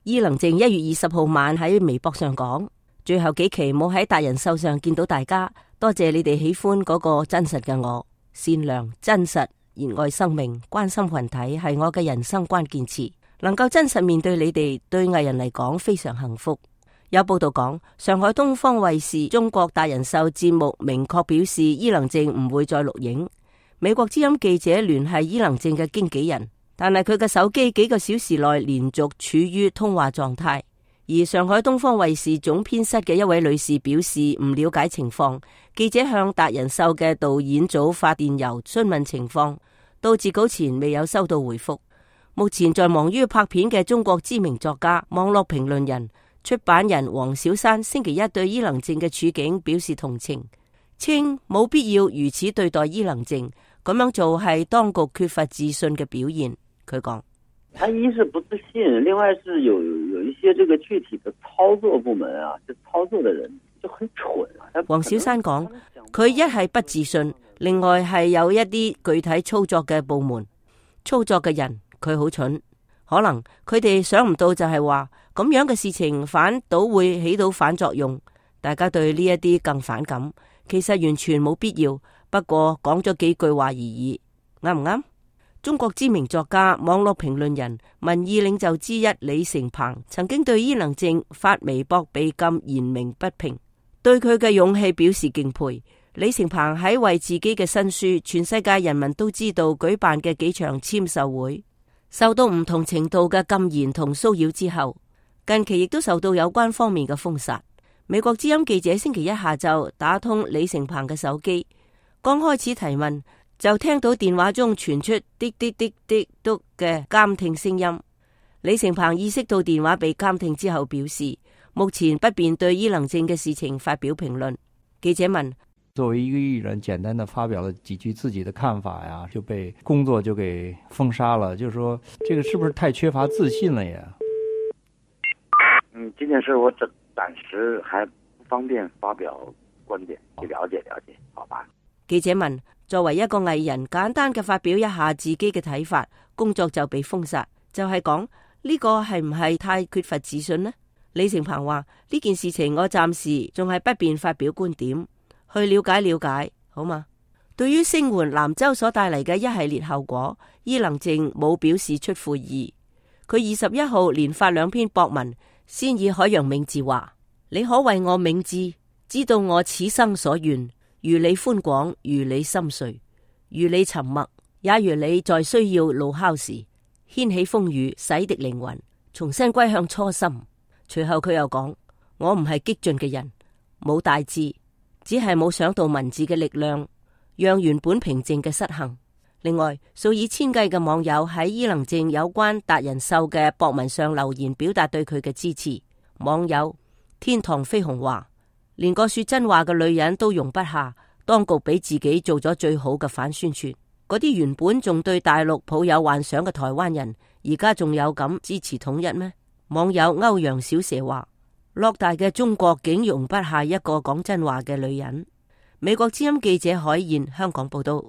伊能靜1月20號晚喺微博上講：最後幾期冇喺達人秀上見到大家，多謝你哋喜歡嗰個真實嘅我，善良、真實、熱愛生命、關心群體係我嘅人生關鍵詞。能夠真實面對你哋，對藝人嚟講非常幸福。有報道講，上海東方衛視中國達人秀節目明確表示伊能靜唔會再錄影。美國之音記者聯繫伊能靜嘅經紀人，但係佢嘅手機幾個小時內連續處於通話狀態。而上海東方衛視總編室嘅一位女士表示唔了解情況，記者向達人秀嘅導演組發電郵詢問情況，到截稿前未有收到回覆。目前在忙於拍片嘅中國知名作家、網絡評論人、出版人黃小山星期一對伊能靜嘅處境表示同情，稱冇必要如此對待伊能靜，咁樣做係當局缺乏自信嘅表現。佢講：他一是不自信，另外是有一些這個具體的操作部門啊，就操作的人就很蠢啊。黃小山講，佢一係不自信，另外係有一啲具體操作嘅部門、操作嘅人。佢好蠢，可能佢哋想唔到就係話咁樣嘅事情反倒會起到反作用，大家對呢一啲更反感。其實完全冇必要，不過講咗幾句話而已，啱唔啱？中國知名作家、網絡評論人、民意領袖之一李成鵬曾經對伊能靜發微博被禁言明不平，對佢嘅勇氣表示敬佩。李成鵬喺為自己嘅新書《全世界人民都知道》舉辦嘅幾場簽售會，受到唔同程度嘅禁言同騷擾之後，近期亦都受到有關方面嘅封殺。美國之音記者星期一下晝打通李成鵬嘅手機，剛開始提問就聽到電話中傳出滴滴滴滴嘟嘅監聽聲音。李成鵬意識到電話被監聽之後，表示目前不便對伊能靜嘅事情發表評論。記者問：作為一個藝人，簡單的發表了幾句自己的看法呀，就被工作就給封殺了，就是說這個是不是太缺乏自信了呀？這件事我暫時還不方便發表觀點，去了解了解，好吧？記者問：作為一個藝人，簡單嘅發表一下自己嘅睇法，工作就被封殺，就係講呢個係唔係太缺乏自信呢？李成鵬話：呢件事情我暫時仲係不便發表觀點。去了解，好嗎？對於聲援南州所帶嚟嘅一系列後果，伊能靜冇表示出乎意。佢21號連發2篇博文，先以海洋銘字話：你可為我銘字，知道我此生所願，如你寬廣，如你深邃，如你沉默，也如你在需要怒吼時掀起風雨，洗滌靈魂，重新歸向初心。隨後佢又講：我唔係激進嘅人，冇大志。只係冇想到文字嘅力量，讓原本平靜嘅失衡。另外，數以千計嘅網友喺伊能靜有關達人秀嘅博文上留言，表達對佢嘅支持。網友天堂飛鴻話：連個說真話嘅女人都容不下，當局俾自己做咗最好嘅反宣傳。嗰啲原本仲對大陸抱有幻想嘅台灣人，而家仲有咁支持統一咩？網友歐陽小蛇話：偌大嘅中國竟容不下一個講真話嘅女人。美國之音記者海燕香港報道。